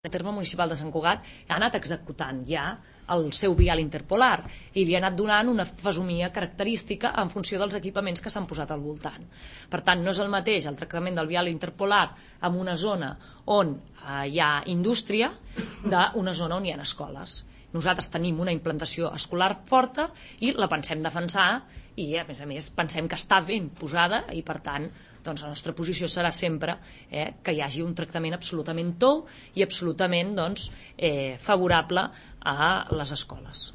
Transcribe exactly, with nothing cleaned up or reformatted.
El terme municipal de Sant Cugat ha anat executant ja el seu vial interpolar i li ha anat donant una fesomia característica en funció dels equipaments que s'han posat al voltant. Per tant, no és el mateix el tractament del vial interpolar en una zona on eh, hi ha indústria d'una zona on hi ha escoles. Nosaltres tenim una implantació escolar forta i la pensem defensar i, a més a més, pensem que està ben posada i, per tant, doncs, la nostra posició serà sempre eh, que hi hagi un tractament absolutament tou i absolutament doncs, eh, favorable a les escoles.